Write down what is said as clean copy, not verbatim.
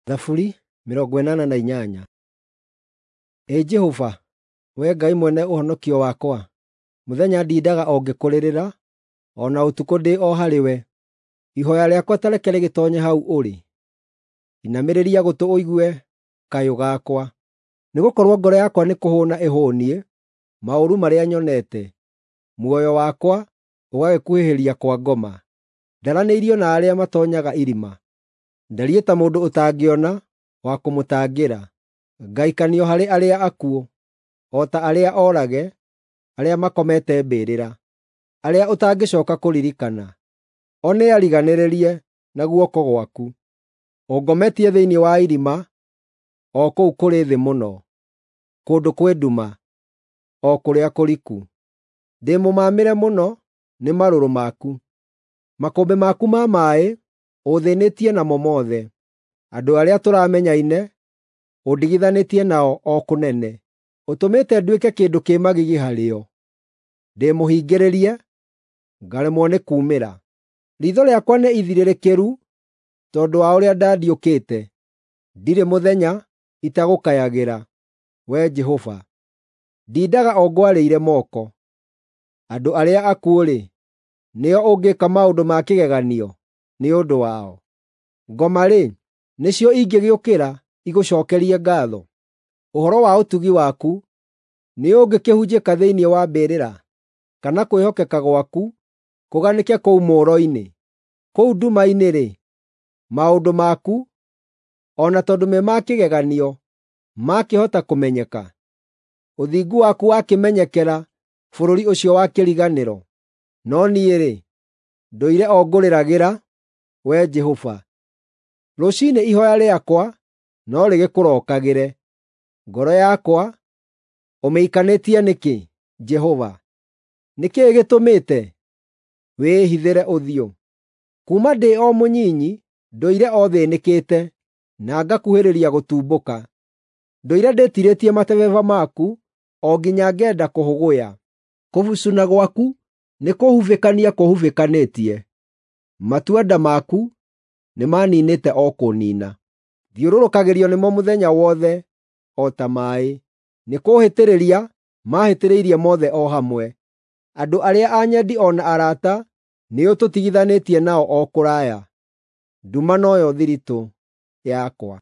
Thaburi 88. Ĩ Jehova, Wee Ngai mwene ũhonokio wakwa, mũthenya ndindaga o ngĩkũrĩrĩra, o na ũtukũ ndĩ o harĩwe. Ihooya rĩakwa ta reke rĩgĩtoonye hau ũrĩ; inamĩrĩria gũtũ ũigue kayũ gakwa. Nĩgũkorwo ngoro yakwa nĩkũhũũna ĩhũũniĩ maũru marĩa nyonete, muoyo wakwa ũgagĩkuhĩhĩria kwa ngoma. Ndaranĩirio na arĩa matoonyaga irima, ndariĩ ta mũndũ ũtangĩona wa kũmũtangĩra. Ngaikanio harĩ arĩa akuũ, o ta arĩa oorage, arĩa makomete mbĩrĩra, arĩa ũtangĩcooka kũririkana. O nĩariganĩrĩrie na guoko gwaku. Ũngometie thĩinĩ wa irima, o kũu kũrĩ thĩ mũno, kũndũ kwĩ nduma, o kũrĩa kũriku. Ndĩ mũmaamĩre mũno nĩ marũrũ maku; makũmbĩ maku ma maaĩ ũũthĩnĩtie namo mothe. Andũ arĩa tũramenyaine ũndigithanĩtie nao o kũnene. Ũtũmĩte nduĩke kĩndũ kĩ magigi harĩo; ndĩmũhingĩrĩrie, ngaremwo nĩ kuumĩra. Riitho rĩakwa nĩ ithirĩrĩkĩru tondũ wa ũrĩa ndandiũkĩte; ndirĩ mũthenya itagũkayagĩra, Wee Jehova. Ndindaga o ngwarĩire moko. Andũ arĩa akuũ-rĩ, nĩo ũngĩka maũndũ ma kĩgeganio nĩ ũndũ wao? Ngoma-rĩ, nĩcio ingĩgĩũkĩra igũcookerie ngaatho? Ũhoro wa ũtugi waku nĩũngĩkĩhunjĩka thĩinĩ wa mbĩrĩra, kana kwĩhokeka gwaku kũganĩke kũu mũũro-inĩ? Kũu nduma-inĩ-rĩ, maũndũ maku, o na tondũ me ma kĩgeganio, maakĩhota kũmenyeka? Ũthingu waku wakĩmenyekera bũrũri ũcio wa kĩriganĩro? No niĩ-rĩ, ndũire o ngũrĩragĩra, Wee Jehova. Rũciinĩ ihooya rĩakwa no rĩgĩkũrookagĩre. Ngoro yakwa ũmĩikanĩtie nĩkĩ, Jehova? Nĩ kĩĩ gĩtũmĩte wĩĩhithĩre ũthiũ? Kuuma ndĩ o mũnyinyi ndũire o thĩĩnĩkĩte, na ngakuhĩrĩria gũtumbũka. Ndũire ndĩtiirĩtie matebeba maku o nginya ngenda kũhũgũya. Kũbucuna gwaku nĩkũhubĩkania kũhubĩkanĩtie; matua-nda maku nĩmaniinĩte o kũniina. Thiũrũrũkagĩrio nĩmo mũthenya wothe o ta maaĩ; nĩkũũhĩtĩrĩria maahĩtĩrĩirie mothe o hamwe. Andũ arĩa anyendi o na arata nĩũtũtigithanĩtie nao o kũraya; nduma noyo thiritũ yakwa.